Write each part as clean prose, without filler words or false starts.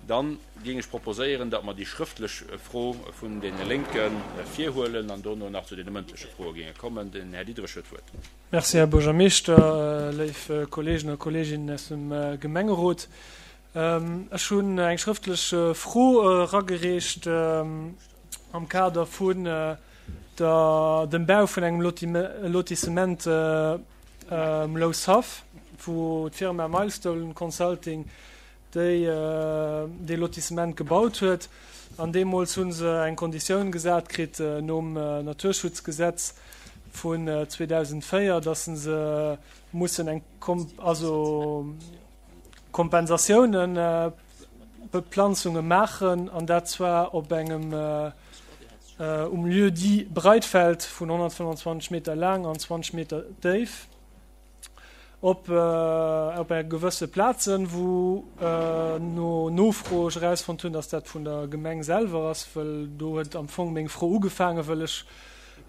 Dann géing ech proposéieren, datt mer déi schrëftlech Fro vun deene Lénke virhuelen an dono nach zu deene mëndleche Froe géinge kommen. Den Här Diderich huet d'Wuert. Merci, Här Buergermeeschter, léif Kolleegen a Kolleeginnen aus dem Gemengerot. Ech hunn eng schrëftlech Fro eragereecht am Kader vun der, dem Bau vun engem Lotissement um Loushaff, wou d'Firma Milestone Consulting déi dee Lotissement gebaut huet. An deemools hu se eng Konditioun gesat kritt nom Naturschutzgesetz vun 2004, dass se mussen eng also Kompensatiounen, Beplanzunge maachen, an dat zwar op engem um Lieu-dit Breitfeld vun 125 Meter laang an 20 Meter déif. Op op eng gewësse Plazen, wou no Nofro ech erausfonnt hunn, dass dat vun der Gemeng selwer ass, wëll do huet am Fong meng Fro ugefaangen, wëll ech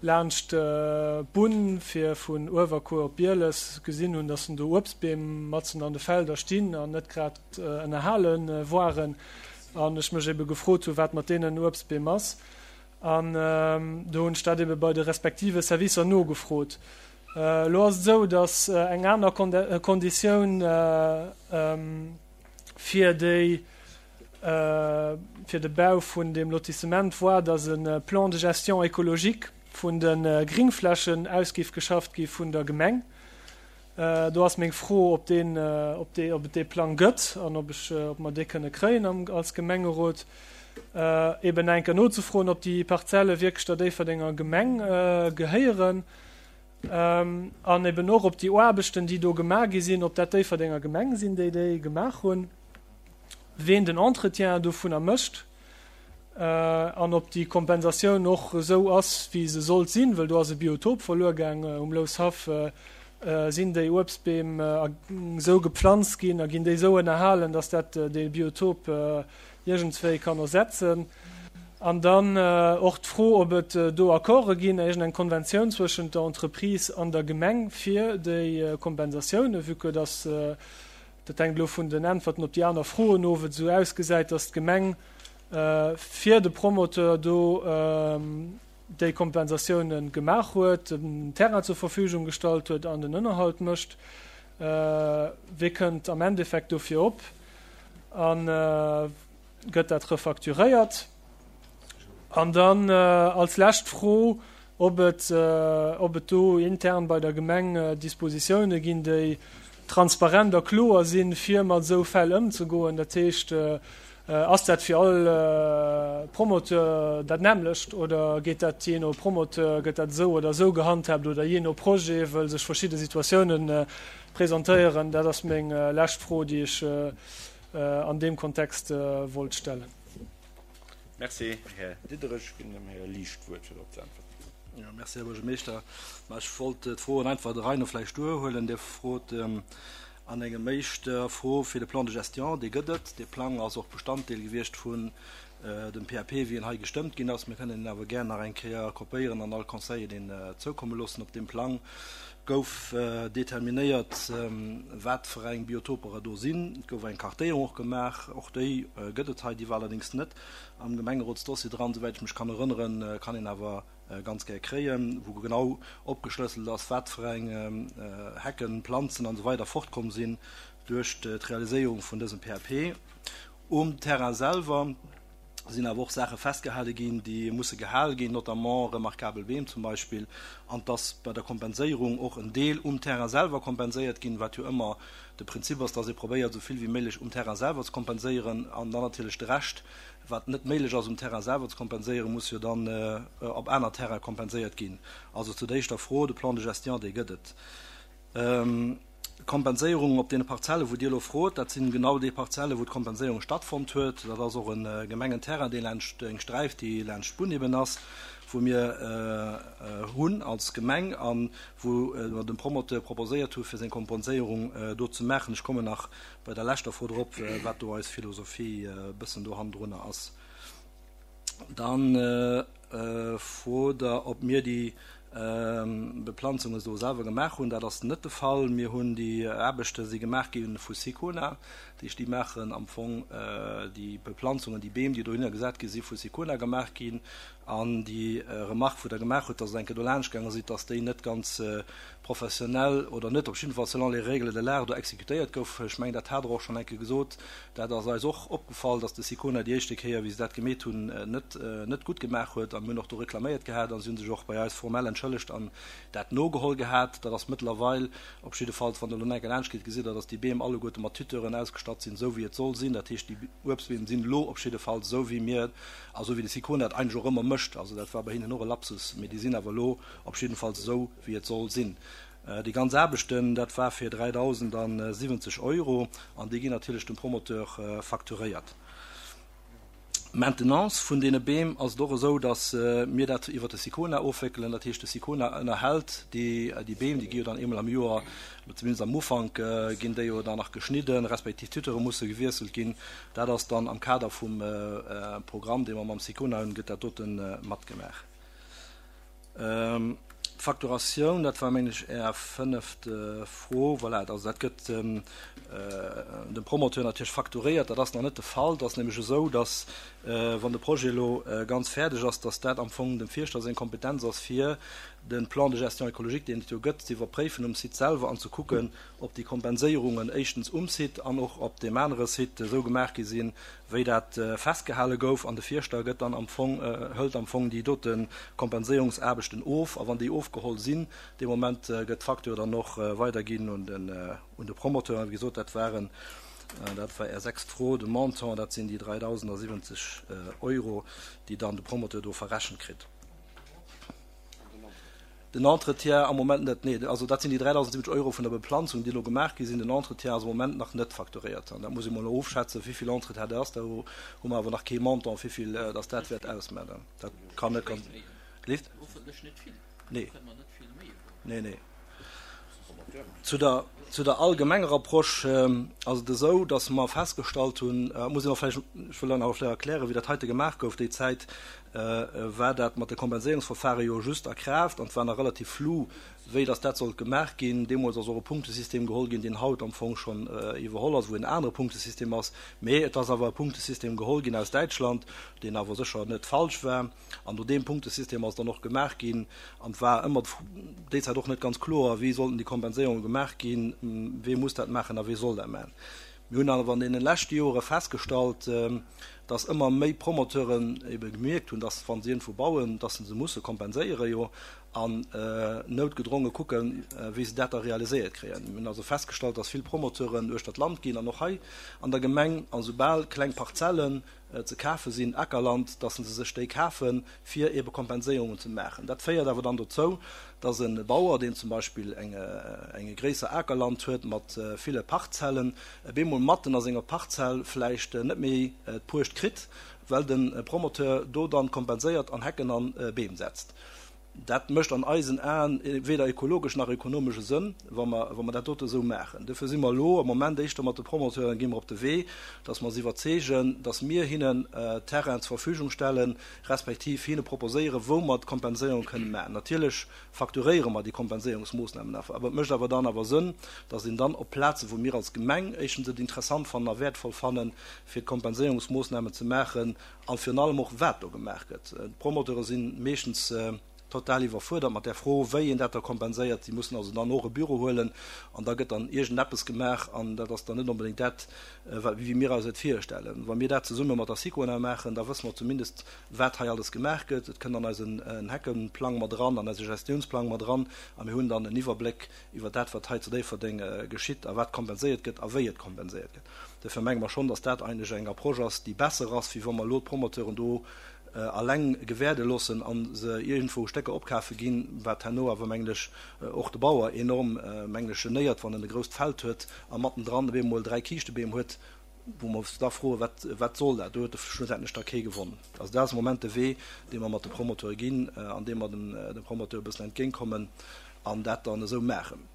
laanscht d'Bunn fir vun Uewerkuer op Bieles gesinn hunn, dass do Uebstbeem matzen an de Felder stinn an net grad ënnerhale waren an ech mech ebe gefrot hunn, wat mat deenen Uebstbeem ass. An do hunn ech dat ebe bei de respektive Servicer nogefrot. Elo ass et esou, datt eng aner Konditioun fir déi, fir de Bau vun deem Lotissement war, datt e Plan de gestion écologique vun de Gringflächen aus géif geschafft gi vun der Gemeng. Do ass meng Fro, ob deen, ob dee, ob et dee Plang gëtt an ob ech, ob mer dee kënne kréien am, als Gemengerot. Eben enker nozefroen, ob déi Parzelle wierklech der Déifferdenger Gemeng gehéieren an eben och, ob déi Aarbechten, déi do gemaach gi sinn, ob dat Déifferdenger Gemeng sinn, déi déi gemaach hunn, ween den Entretien dovunner mécht an ob déi Kompensatioun och esou ass, wéi se sollt sinn, wëll do ass e Biotop verluer gaang um Loushaff. Sinn déi Uebstbeem esou gepflanzt ginn a ginn déi esou ënnerhalen, dass dat dee Biotop iergendswéi kann ersetzen. An dann och d'Fro, ob et do Accorde ginn, iergendeng Konventioun zwëschent der Entreprise an der Gemeng fir déi Kompensatiounen, vue que dass, dat hänkt elo vun den Äntwerten op déi aner Froen of, et esou ausgesäit, dass d'Gemeng fir de Promoteur do déi Kompensatiounen gemaach huet, den Terrain zur Verfügung gestallt huet an den Ënnerhalt mécht. Wie kënnt am Endeffekt dofir op? A gëtt dat refacturéiert? An dann als lescht Fro, ob et, ob et do intern bei der Gemeng Dispositioune ginn, déi transparent a kloer sinn, fir mat esou Fäll ëmzegoen. Dat heescht, ass dat fir all Promoteur dat nämmlecht oder geet dat jee no Promoteur, gëtt dat esou oder esou gehandhaabt oder jee no Projet, wëll sech verschidde Situatiounen presentéieren? Dat ass meng lescht Fro, déi ech an deem Kontext wollt stellen. Merci, Här Diderich. Ech ginn dem Här Liesch d'Wuert, fir drop ze äntwerten. Jo, merci, Här Buergermeeschter. Ma ech wollt d'Froen einfach der Rei no vläicht duerhuelen. Dir frot an engem éischter Fro fir de Plan de gestion. Dee gëtt et. Dee Plang ass och Bestanddeel gewiescht vun dem PAP, wéi en hei gestëmmt ginn ass. Mir kënnen en awer gär nach eng Kéier kopéieren an all Conseiller deen zoukomme loossen. Op deem Plang gouf determinéiert, wat fir eng Biotoper et do sinn. Et gouf eng Kartéierung och gemaach. Och déi gëtt et hei. Déi war allerdéngs net am Gemengerotsdossier dran, souwäit ech mech kann erënneren. Kann een awer ganz gär kréien, wou genau opgeschlësselt ass, wat fir eng Hecken, Planzen an esou weider fortkomm sinn duerch d'Realiséierung vun dësem PAP. Um Terrain selwer sinn awer och Saache festgehale ginn, déi musse gehal ginn, notamment remarkabel Beem zum Beispill, an dass bei der Kompenséierung och en Deel um Terrain selwer kompenséiert ginn, wat jo ëmmer de Prinzip ass, dass ee probéiert, esou vill wéi méiglech um Terrain selwer ze kompenséieren an dann natierlech de Rescht, wat net méiglech ass um Terrain selwer ze kompenséieren, muss jo dann op aner Terraine kompenséiert ginn. Also zu der éischter Fro, de Plan de gestion, dee gëtt et. D'Kompenséierung op deene Parzelle wou Dir elo frot, dat sinn genau déi Parzelle wou d'Kompenséierung stattfonnt huet. Dat ass och e Gemengenterrain, dee laanscht, eng Sträif, déi laanscht d'Bunn eben ass, wou mir hunn als Gemeng a wou mer dem Promoteur proposéiert hu fir seng Kompenséierung do ze maachen. Ech kommen nach bei der leschter Fro drop, wat do eis Philosophie e bëssen do hannendrunner ass. Dann frot Der, ob mir déi. Beplanzunge do selwer gemaach hunn. Dat ass net de Fall. Mir hunn déi Aarbechte si gemaach gi vu Sicona. Dat heescht, déi maachen am Fong déi Beplanzungen, déi Beem, déi dohinner gesat gi si vu Sicona gemaach ginn. An déi Remarque, wou Der gemaach hutt, dass Der eng Kéier do laanscht gaange sidd, dass déi net ganz professionell oder net op jidde Fall selon les règles de l'art do exekutéiert gouf, ech mengen, dat hat Der och schonn eng Kéier gesot, dat ass eis och opgefall, dass de Sicona déi éischte Kéier, wéi se dat gemeet hunn, net net gutt gemaach huet. A mir hunn och do reklaméiert gehat a si hu sech och bei eis formell entschëllegt an dat nogeholl gehat. Dat ass mëttlerweil op jiddefalls, wann Der elo nach eng Kéier laanscht gitt, gesitt Der, dass déi Beem alleguerte mat Tuteuren ausgestatt sinn, esou wéi et soll sinn. Dat heescht, déi Uebstbeem sinn elo op jiddefalls esou wéi mir A sou wéi de Sicona dat eigentlech och ëmmer mécht, also dat war bei hinnen och e Lapsus, mee déi sinn awer elo op jiddefalls esou wéi et soll sinn. Déi ganz Aarbechten, dat war fir 3.070 Euro an déi ginn natierlech dem Promoteur facturéiert. D'Maintenance vun deene Beem ass et och esou, datt mir dat iwwert de Sicona ofwéckelen. Dat heescht, de Sicona ënnerhält déi Beem, déi gi jo dann eemol am Joer, zumindest am Ufank ginn déi jo dann nach geschnidden, respektiv d'Tuteure musse gewiesselt ginn. Dat ass dann am Kader vum Programm, dee mer mam Sicona hunn, gëtt dat dote matgemaach. D'Facturatioun, dat war, mengen ech, Är fënneft Fro. Voilà, also dat gëtt dem Promoteur natierlech facturéiert. Dat ass nach net de Fall. Et ass nämlech esou, datt, wann de Projet elo ganz fäerdeg ass, datt dat am Fong dem Fierschter seng Kompetenz ass, fir de Plan de gestion écologique, deen et jo gëtt, ze iwwerpréifen um Site selwer an ze kucken, ob déi Kompenséierungen éischtens um Site an och op deem anere Site esou gemaach gi sinn, wéi dat festgehale gouf. An de Fierschter gëtt dann am Fong, hëlt am Fong déi dote Kompenséierungsaarbechten of. A wann déi ofgeholl sinn, dee Moment gëtt d'Facture dann och weiderginn un den, un de Promoteur. A wéi gesot, dat waren, dat war Är sechst Fro, de Montant, dat sinn déi 3.070 Euro, déi dann de Promoteur do verrechent kritt. Den Entretien am Moment net, nee. Also dat sinn déi 3.070 Euro vun der Beplanzung, déi elo gemaach gi sinn. Den Entretien ass am Moment nach net facturéiert. An dat muss ee mol ofschätzen, wéi vill Entretien dat ass. Do hu mer awer nach kee Montant, wéi vill dass dat wäert ausmaachen. Dat kann net ganz. Leeft? Hoffentlech net vill. Nee. Do kënne mer net vill méi erwaarden. Nee, nee. Zu der, zu der allgemenger Approche ass et esou, dass mer festgestallt hunn, muss een och vläicht, ech wëll dann awer vläicht erklären, wéi dat heite gemaach gouf déi Zäit, war dat mat de Kompenséierungsverfahre jo just a Kraaft an et war nach relativ flou, wéi dass dat sollt gemaach ginn. Deemools ass och e Punktesystem geholl ginn, deen haut am Fong schonn iwwerholl ass, wou en anere Punktesystem ass, mee et ass awer e Punktesystem geholl ginn aus Däitschland, deen awer sécher net falsch war. An no deem Punktesystem ass dann och gemaach ginn. An et war ëmmer déi Zäit och net ganz kloer, wéi sollten déi Kompenséierunge gemaach ginn, wee muss dat maachen a wee soll dat maachen. Mir hunn awer an deene leschte Jore festgestallt, dass ëmmer méi Promoteuren ebe gemierkt hunn, dass wa se iergendwou bauen, dass se se musse kompenséieren, jo, an noutgedronge kucken, wéi se dat da realiséiert kréien. Mir hunn also festgestallt, dass vill Promoteuren uechter d'Land ginn an och hei an der Gemeng, a soubal kleng Parzellen ze kafe sinn, Ackerland, dass se sech déi kafen, fir ebe Kompenséierungen ze maachen. Dat féiert awer dann dozou, dass e Bauer, deen zum Beispill eng e gréisser Akerland huet mat ville Parzellen, op eemol matten a senger Parzell vläicht net méi d'Puecht kritt, well de Promoteur do dann kompenséiert an Hecken an Beem setzt. Dat mécht an eisen Aen weder ökologesch nach ökonomesche Sënn, wa mer, wa mer dat dote esou maachen. Dofir si mer elo am Moment éischter mat de Promoteuren, gi mer op de Wee, dass mer se iwwerzeegen, dass mir hinnen Terrain zur Verfügung stellen, respektiv hinne proposéieren, wou mer d'Kompenséierung kënnen maachen. Natierlech facturéiere mer déi Kompenséierungsmoossnamen awer. Awer et mécht awer dann awer Sënn, dass een dann op Plazen, wou mir als Gemeng éischtens et interessant fannen a wäertvoll fannen, fir d'Kompenséierungsmoossnamen ze maachen, A virun allem och, wat do gemaach gëtt. D'Promoteure si meeschtens total iwwerfuerdert mat där Fro, wéi een dat da kompenséiert. Si mussen also dann och e Büro huelen an da gëtt dann iergendeppes gemaach an dat ass dann net onbedéngt dat, wat, wéi mir eis et virstellen. Wa mir dat zesumme mat der Sicona maachen, da wësse mer zumindest, wat hei alles gemaach gëtt. Et kënnt an eisen Heckenplang mat eran, an eise Gestiounsplang mat eran a mir hunn dann en Iwwerbléck iwwer dat, wat hei zu Déifferdeng geschitt a wat kompenséiert gëtt a wéi et kompenséiert gëtt. Duerfir menge mer schonn, dass dat eigentlech eng Approche ass, déi besser ass, wéi wa mer elo d'Promoteuren do alleng gewäerde loossen a se iergendwou Stécker opkafe ginn, wat herno awer, mengen ech, och de Bauer enorm, mengen ech, genéiert, wann en e grousst Feld huet a mattendran op eemol 3 Kiischtebeem huet, wou mer eis da froen, Wat, wat soll dat? Do huet schlussendlech da kee gewonnen. Also dat ass am Moment de Wee, dee mer mat de Promoteure ginn, an deem mer dem Promoteur e bëssen entgéintkommen an dat dann esou maachen.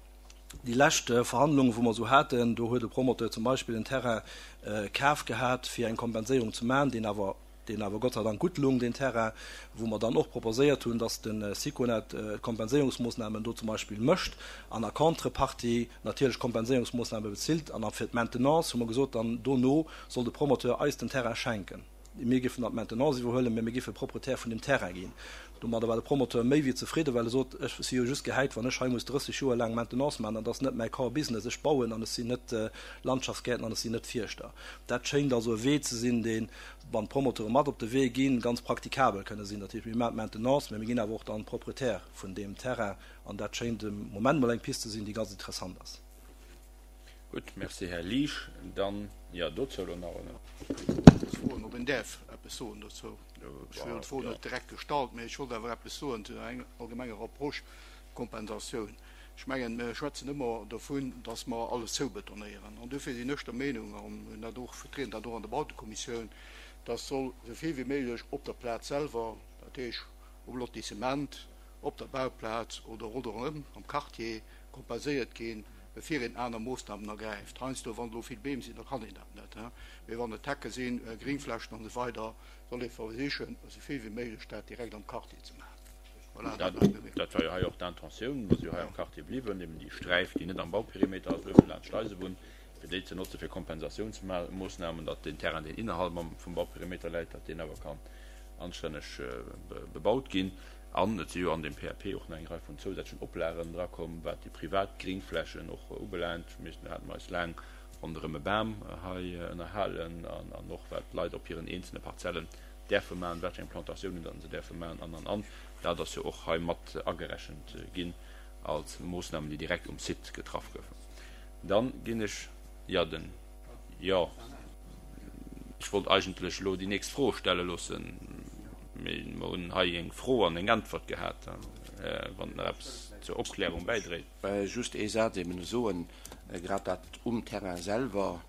Déi lescht Verhandlungen, wou mer esou haten, do huet e Promoteur zum Beispill en Terrain kaf gehat, fir eng Kompenséierung ze maachen, deen awer. Deen awer Gott sei Dank gutt lung, deen Terrain, wou mer dann och proposéiert hunn, dass de Siconet d'Kompenséierungsmoosnamen do zum Beispill mécht an a Contrepartie natierlech Kompenséierungsmoosname bezilt. An fir d'Maintenance hu mer gesot, dann dono soll de Promoteur eis den Terrain schenken. Mir géifen dann d'Maintenance iwwerhuelen, mä mir géife Proprietär vun deem Terrain ginn. Domadder war de Promoteur méi wéi zefridden, well e sot, Ech si jo just gehäit, wann ech hei muss 30 Joer laang Maintenance maachen, an dat ass net mäi Core Business. Ech bauen an ech sinn net Landschaftsgäertner an ech sinn net Fierschter. Dat schéngt also e Wee ze sinn, deen, wann d'Promoteure mat op de Wee ginn, ganz praktikabel kënne sinn. Dat heescht, mir maachen d'Maintenance, mä mir ginn awer och dann Proprietär vun deem Terrain an dat schéngt de Moment mol eng Pist ze sinn, déi ganz interessant ass. Gutt, merci Här Liesch. Dann, jo, dozou elo nach en. Ech froen, ob een däerf eppes soen dozou. Ech hunn d'Fro net direkt gestallt, mä ech wollt awer eppes soen zu der allgemenger Approche Kompensatioun. Ech mengen, mir schwätzen ëmmer dovun, dass mer alles zoubetonéieren. An dofir sinn ech der Meenung, an hunn dat och, vertrieden dat och an der Bautekommissioun, dass soll esou vill wéi méiglech op der Plaz selwer, dat heesch um Lotissement, op der Bauplaz oder ronderëm am Quartier, kompenséiert ginn, bevir een aner Moossnamen ergräift. Heiansdo, wann elo vill Beem sinn, da kann een dat net, mee wann et Hecke sinn, Gringflächen an esou weider, soll ee versichen, esou vill wéi méiglech dat direkt am Quartier ze maachen. Voilà, dat war meng. Dat war jo hei och d'Intentioun. Mer si jo hei am Quartier bliwwen, eben déi Sträif, déi net am Bauperimeter ass, uewen laanscht d'Eisebunn, fir déi ze notze fir Kompensatiounsmoossnamen, datt deen Terrain, deen innerhalb vum Bauperimeter läit, datt deen awer kann anstänneg bebaut ginn. An et si jo an deem PAP och nach eng Rei vun zousätzlechen Oplagen drakomm, wat déi privat Gringflächen och ubelaangt. Mir hate mer eis laang ronderëm e Bam hei ënnerhalen an och wat d'Leit op hiren eenzele Parzellen däerfe maachen, wat fir eng Plantatiounen datt se däerfe maachen an, an, an. Dat ass jo och hei mat agerechent ginn als Moossnamen, déi direkt um Site getraff goufen. Dann ginn ech, jo, den, jo, ech wollt eigentlech elo déi nächst Fro stelle loossen, mee mer hunn hei eng Fro an eng Äntwert gehat, wann et nach eppes zur Opklärung bäidréit. Just ee Saz eben soen, grad dat um Terrain selwer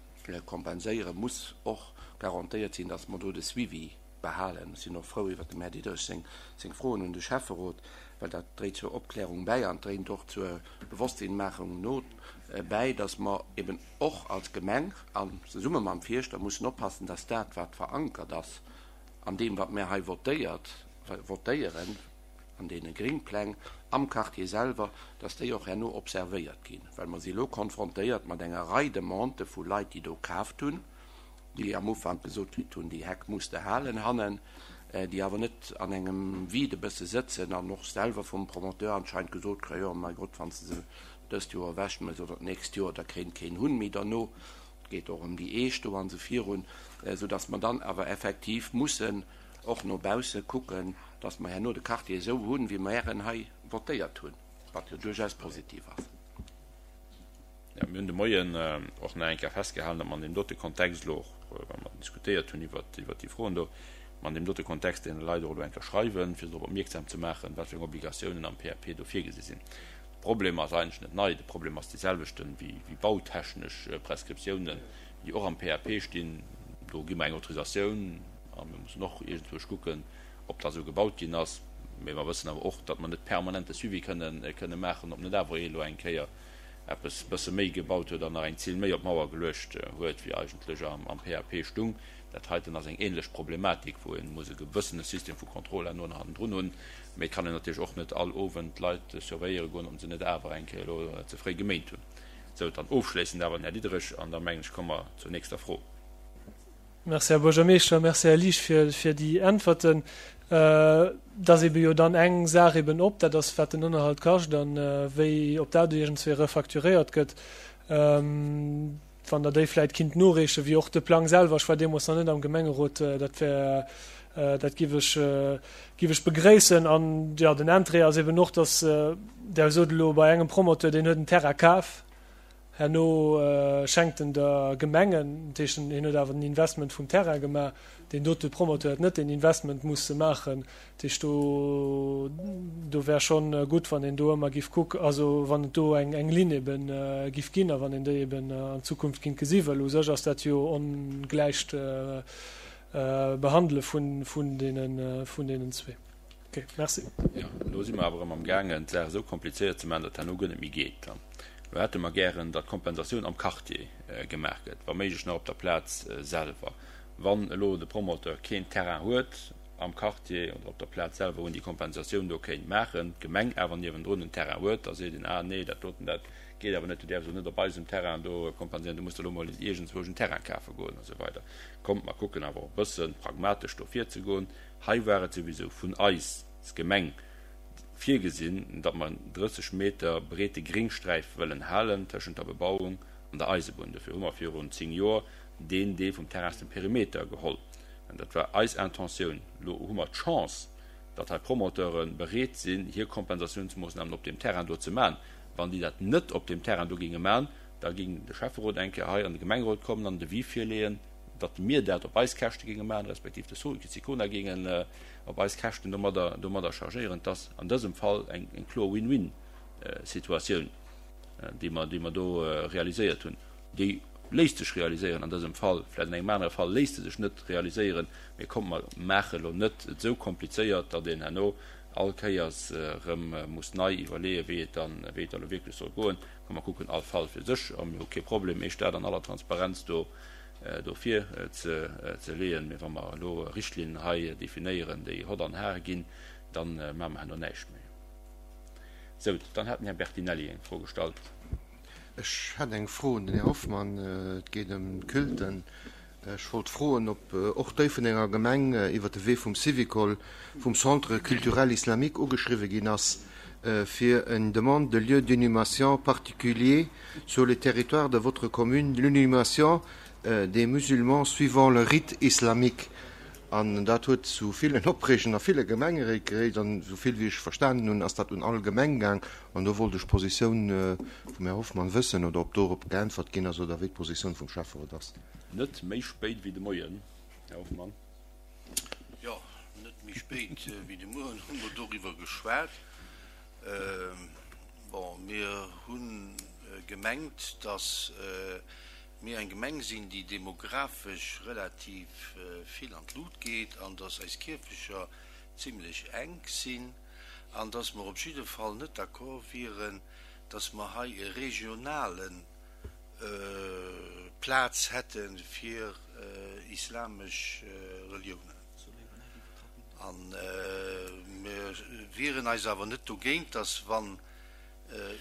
kompenséiere muss och garantéiert sinn, dass mer do de Suivi behalen. Ech sinn och frou iwwert dem Här Diderich seng Froen un de Schäfferot, well dat dréit zur Opklärung bäi an dréint och zur Bewosstsinnmaachung no bäi, dass mer eben och als Gemeng an zesumme mam Fierschter mussen oppassen, dass dat, wat verankert ass an deem, wat mär hei votéiert, votéieren, an deene Gringpläng am Quartier selwer, dass déi och herno observéiert ginn, well mer si elo konfrontéiert mat enger Rei Demandë vu Leit, déi do kaaft hunn, déi am Ufank gesot kritt hunn, déi Heck muss de halen hannen, déi awer net an engem Vide e bësse sëtzen an och selwer vum Promoteur anscheinend gesot kréien, jo, mäi Gott, wann s de se dëst Joer ewechmëss oder d'nächst Joer, da kéint keen Hunn méi derno. Et geet och ëm déi Eech do an esou virun, soudass mer dann awer effektiv mussen och no bausse kucken, dass mer herno de Quartier esou hunn, wéi mer en hei votéiert hunn, wat jo duerchaus positiv ass. Jo, mir hunn de Moien och nach eng Kéier festgehalen, datt mer an deem dote Kontext elo och, wa mer diskutéiert hunn iwwert déi Froen do, mer an deem dote Kontext deene Leit och elo eng Kéier schreiwen, fir se drop opmierksam ze maachen, wat fir eng Obligatiounen am PAP do virgesi sinn. De Problem ass eigentlech net nei, de Problem ass deeselwechten wéi bautechnesch Prescriptiounen, déi och am PAP stinn. Do gi mer eng Autorisatioun a mir mussen och iergendwousch kucken, ob da sou gebaut ginn ass. Mee mer wëssen awer och, datt mer net permanent de Suivi kënnen kënne maachen, ob net awer ee elo eng Kéier eppes bësse méi gebaut huet an nach eng Zill méi op d'Mauer geluecht huet, wéi eigentlech am PAP stung. Dat heiten ass eng ähnlech Problematik, wou ee muss e gewëssene System vu Contrôle herno nach hannendrun hunn. Mee et kann een natierlech och net all Owend d'Leit surveilléiere goen, ob se net awer eng Kéier elo ze fréi geméint hunn. Sou, dann ofschléissend awer den Här Diderich an da mengen ech, komme mer zur nächster Fro. Merci, Här Buergermeeschter. Merci, Här Liesch, fir, fir déi Äntwerten. Et ass eebe jo dann eng Saach eeben op, dat ass, wat den Ënnerhalt kascht an wéi, ob dat iergendswéi refacturéiert gëtt. Wann Der déi vläicht kinnt noreechen, wéi och de Plang selwer. Ech war deemools nach net am Gemengerot. Dat wär, dat giff ech, giff ech begréissen. An, jo, den Interêt ass eeben och, dass Der sot elo bei engem Promoteur, deen huet en Terrain kaf, Herno schenkt en der Gemeng en, dat heescht, hien huet awer den Investment vum Terrain gemaach. Deen dote Promoteur huet net deen Investment musse maachen. Dat heescht, do, do wär schonn gutt, wann een do ëmmer giff kucken, also wann et do eng, eng Linn ebe giff ginn a wann een déi eben an Zukunft kinnt gesi wëll. U sech ass dat jo ongläicht Behandele vun, vun deenen, vun deenen zwee. Ok, merci. Jo, elo si mer awer erëm am gaangen, d'Saach esou komplizéiert ze maachen, datt herno guer net méi geet. Elo hätte mer gären, datt d'Kompensatioun am Quartier gemaach gëtt, wa méiglech nach op der Plaz selwer. Wann elo de Promoteur keen Terrain huet am Quartier oder op der Plaz selwer, wou en déi Kompensatioun do kéint maachen, d'Gemeng awer niewendrun en Terrain huet, da seet een, ah nee, dat doten, dat geet awer net, du däerfs elo net op eisem Terrain do kompenséieren, du muss der elo mol iergendzwousch en Terrain kafe goen a sou weider. Kommt, mer kucken awer och e bësse pragmatesch do virzegoen. Hei war et souwisou vun eis als Gemeng virgesinn, datt mer en 30 Meter breete Gringsträif wëllen halen tëschent der Bebauung an der Eisebunn. Dofir hu mer virun 10 Joer deen Deel vum Terrain aus dem Perimeter geholl. Dat war eis Intentioun. Elo hu mer d'Chance, datt hei Promoteure bereet sinn, hir Kompensatiounsmoossnamen op deem Terrain do ze maachen. Wann déi dat net op deem Terrain do géinge maachen, da géing de Schäfferot eng Kéier hei an de Gemengerot kommen an en Devis virleeën, datt mir dat op eis Käschte géinge maachen, respektiv de Sicona géingen op eis Käschten domadder, domadder chargéieren. Et ass an dësem Fall eng, eng kloer Win-win-Situatioun, déi mer, déi mer do realiséiert hunn. Déi léisst sech realiséieren an dësem Fall, vläicht an engem anere Fall léisst se sech net realiséieren, mee kommt, mer maache elo net et esou komplizéiert, datt een herno all Kéiers erëm muss nei iwwerleeën, wéi et dann, wéi et da elo wierklech soll goen. Komm, mer kucken all Fall fir sech a mir hu kee Problem, Iech dat an aller Transparenz do, do vir ze, ze leeën. Mee wa mer elo Richtlinnen hei definéieren, déi hott an har ginn, da maache mer herno näischt méi. Sou, dann hat den Här Bertinelli eng Fro gestallt. Ech hätt eng Fro un den Här Hoffmann. Et geet ëm d'Culten. Ech wollt froen, ob och d'Déifferdenger Gemeng iwwer de Wee vum Syvicol, vum Centre culturel islamique ugeschriwwe ginn ass, fir une demande de lieu d'inhumation particulier sur le territoire de votre commune, l'inhumation des musulmans suivant le rite islamique. An dat huet zu villen Opreegen a ville Gemengeréit geréit. An esou vill wéi ech verstanen hunn, ass dat un all Gemeng gaang. An do wollt ech d'Positioun vum Här Hoffmann wëssen oder ob dorop geäntwert ginn ass oder wéi d'Positioun vum Schäfferot ass. Net méi spéit wéi de Moien, Här Hoffmann. Jo, net méi spéit wéi de Mueren hu mer doriwwer geschwat. Bon, mir hu gemengt, datt mir eng Gemeng sinn, déi demografesch relativ vill an d'Lut geet an datt eis Kierfecher zimlech enk sinn an datt mer op jidde Fall net d'accord wieren, datt mer hei e regionale Plaz hätte fir islamesch Reliounen. A mir wieren eis awer net dogéint, datt wann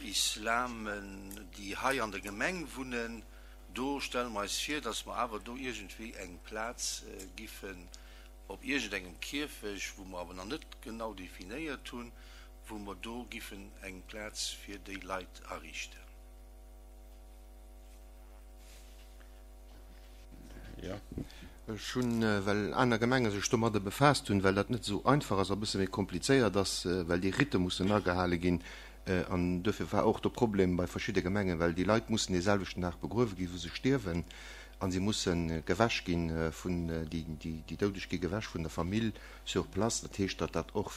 Islamen, déi hei an der Gemeng wunnen, do stelle mer eis vir, dass mer awer do iergendwéi eng Plaz giffen op iergendengem Kierfech, wou mer awer nach net genau definéiert hunn, wou mer do giffen eng Plaz fir déi Leit ariichten. Jo. Ech hunn, well aner Gemenge sech domadder befaasst hunn, well dat net esou einfach ass a bësse méi komplizéiert ass, well déi Ritte mussen agehale ginn, an duerfir war och de Problem bei verschidde Gemengen, well déi Leit mussen dee selwechten Dag begruewe ginn, wou se stierwen, a si musse gewäsch gi vun, déi Doudeg gi gewäsch vun der Famill sur place. Dat heescht, datt dat och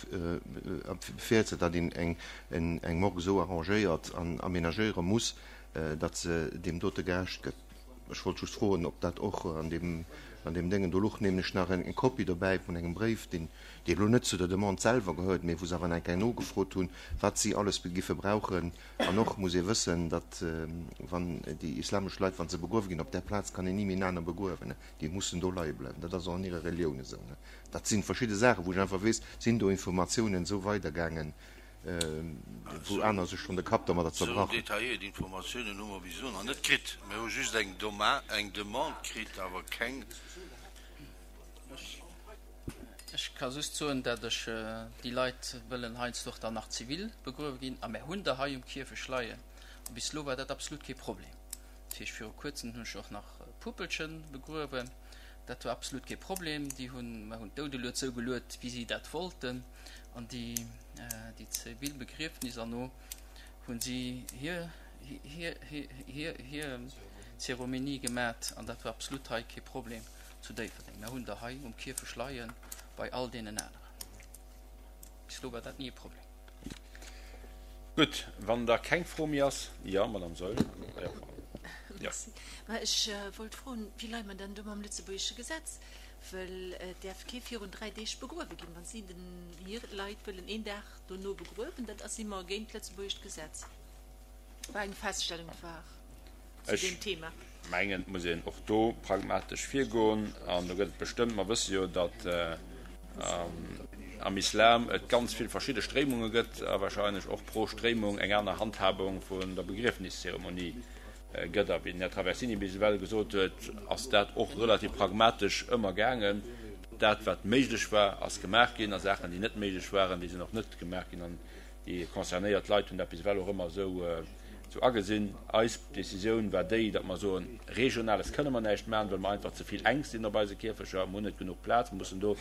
virsetzt, datt een eng Morgue esou arrangéiert an aménagéiere muss, datt se deem dote gerecht gëtt. Ech wollt just froen, ob dat och an deem, an deem Déngen, do luch nämlech nach eng Kopie dobäi vun engem Bréif, deen, dee elo net zu der Demande selwer gehéiert, mee wou se awer nach eng Kéier nogefrot hunn, wat si alles giffe brauchen. An och muss ee wëssen, datt, wann déi islamesch Leit, wa se begruewe ginn, op där Plaz kann een ni méi en aner begruewen, déi mussen do leie bleiwen. Dat ass och an hirer Relioun esou. Dat si verschidde Saachen, wou ech einfach weess, sinn do Informatiounen esou weidergaangen, wou aner sech schonn de Kapp domadder zerbrach hunn. Esou detailléiert Informatiounen hu mer bis elo nach net kritt. Mir hu just eng Demande kritt, awer keng. Ech ka just soen, dat ech déi Leit wëllen heiansdo och dann nach zivil begruewe ginn, a mär hunn der hei um Kierfecht leien, a bis elo war dat absolut kee Problem. Dat heescht, viru kuerzem hunn ech och nach e Puppelche begruewen, dat war absolut kee Problem. Déi hunn, mer hunn d'Doudelued esou geluet, wéi si dat wollten. An déi, déi zivil Begriefnis an no hunn si hir, hir, hir, hir Zeromenie gemat an dat war absolut hei kee Problem zu Déifferdeng. Mer hunn der hei um Kierfecht leie bei all deenen aneren. Bis elo war dat ni e Problem. Gutt, wann da keng Fro méi ass. Jo, Madame Saeul. Jo, jo. Merci. Ma ech wollt froen, wéi leie mer dann do mam lëtzebuergesche Gesetz? Wëll et däerf kee virun 3 Deeg begruewe ginn. Wa si den hir Leit wëllen een Dag dono begruewen, dat ass immer géint d'lëtzebuergescht Gesetz. War eng Feststellung war zu deem Thema. Mengen, et muss een och do pragmatesch virgoen. An do gëtt et bestëmmt, mer wësse jo, datt am Islam et ganz vill verschidde Stréimunge gëtt a wahrscheinlech och pro Stréimung eng aner Handhabung vun der Begriefniszeremonie gëtt. A wéi den Här Traversini bis ewell gesot huet, ass dat och relativ pragmatesch ëmmer gaangen. Dat, wat méiglech war, ass gemaach ginn, a Saachen, déi net méiglech waren, déi sinn och net gemaach ginn. An déi concernéiert Leit hunn dat bis ewell och ëmmer esou agesinn. Eis Décisioun war déi, datt mer soen, Regionales kënne mer näischt maachen, well mer einfach ze vill enk sinn op eise Kierfecher. Mer hunn net genuch Plaz. Mer mussen do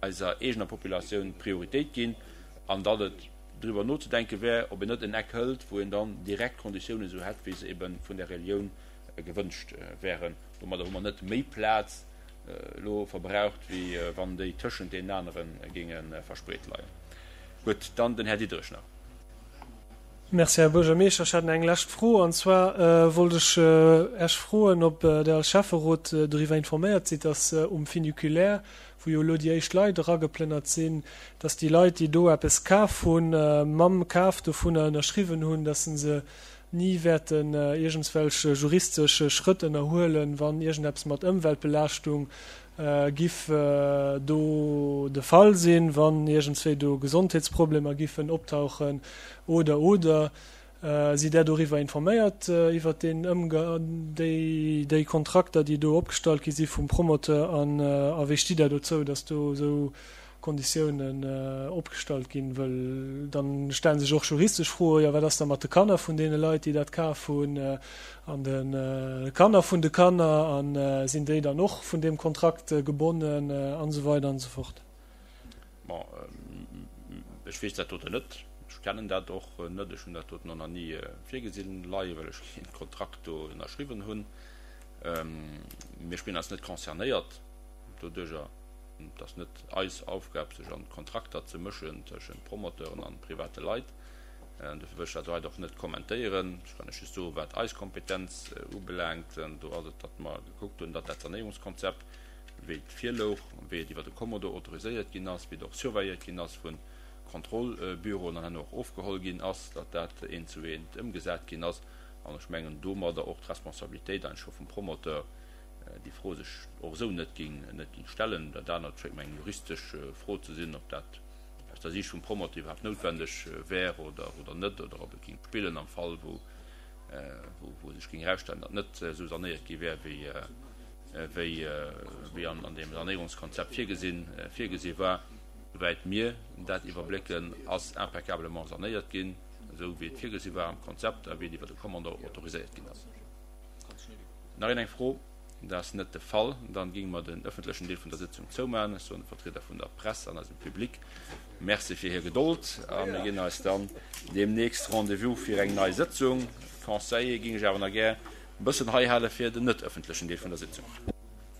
eiser eegener Populatioun Prioritéit ginn. An datt et driwwer nozedenke wär, ob een net en Eck hëlt, wou een dann direkt d'Konditiounen esou hätt, wéi se ebe vun der Relioun gewënscht wären. Domadder hu mer net méi Plaz elo verbraucht, wéi wann déi tëschent deenen anere géinge verspreet leien. Gutt, dann den Här Diderich nach. Merci, Här Buergermeeschter. Ech hätt nach eng lescht Fro, an zwar wollt ech Äech froen, ob Der als Schäfferot doriwwer informéiert sidd, dass um Funiculaire, wou jo elo déi éischt Leit erageplënnert sinn, dass déi Leit, déi do eppes kaf hunn, mam Kaf dovunner ënnerschriwwen hunn, dass se ni wäerten iergendswelch juristesch Schrëtt ënnerhuelen, wann iergendeppes mat Ëmweltbelaaschtung giff do de Fall sinn, wann iergendswéi do Gesondheetsproblemer giffen optauchen oder oder. Sidd Der doriwwer informéiert, iwwert deen Ëmga déi déi Kontrakter, déi do opgestallt gi si vum Promoteur? An a wéi stitt Der dozou, datt do esou Konditiounen opgestallt ginn? Wëll dann stellen sech och juristesch Froen, jo wat ass da mat de Kanner vun deene Leit, déi dat kaf hunn, an de Kanner vun de Kanner, a sinn déi dann och vun deem Kontrakt gebonnen, an esou weider an esou fort. Bon, ech weess dat doten net. Ech kennen dat och net. Ech hunn dat doten och nach ni virgesinn leien, well ech keen Kontrakt do ënnerschriwwen hunn. Mir spillen eis net concernéiert doduerjer. Et ass net eis Aufgab, sech an d'Kontrakter ze mëschen tëschent Promoteuren an private Leit. Dofir wëll ech dat hei och net kommentéieren. Ech kann lech just soen, wat eis Kompetenz ubelaangt. Do ass et, datt mer gekuckt hunn, datt dat Sanéierungskonzept, wéi et virlouch, wéi et iwwer de Kommodo autoriséiert ginn ass, wéi et och surveilléiert ginn ass vu Kontrollbüroen an herno och ofgeholl ginn ass, datt dat eent zu eent ëmgesat ginn ass. An ech mengen domadder och d'Responsabilitéit eigentlech scho vum Promoteur, déi Fro sech och esou net géing, net géing stellen. Dat anert schéngt mer eng juristesch Fro ze sinn, ob dat aus der Siicht vum Promoteur iwwerhaapt noutwendeg wär oder, oder net, oder ob et géing spillen am Fall, wou, wou sech géing erausstellen, datt net esou sanéiert gi wär, wéi, wéi, wéi an, an deem Sanéierungskonzept virgesinn, virgesi war. Souwäit mir dat iwwerblécken, ass impeccablement sanéiert ginn, esou wéi et virgesi war am Konzept a wéi et iwwer de Commandeur autoriséiert ginn ass. Nach een eng Fro? Dat ass net de Fall. Dann géinge mer den öffentlechen Deel vun der Sëtzung zoumaachen. Ech soen de Vertrieder vun der Press an eisem Public Merci fir hir Gedold a mir ginn eis dann deemnächst Rendez-vous fir eng nei Sëtzung. D'Conseiller géing ech awer nach gär e bëssen hei hale fir den net öffentlechen Deel vun der Sitzung.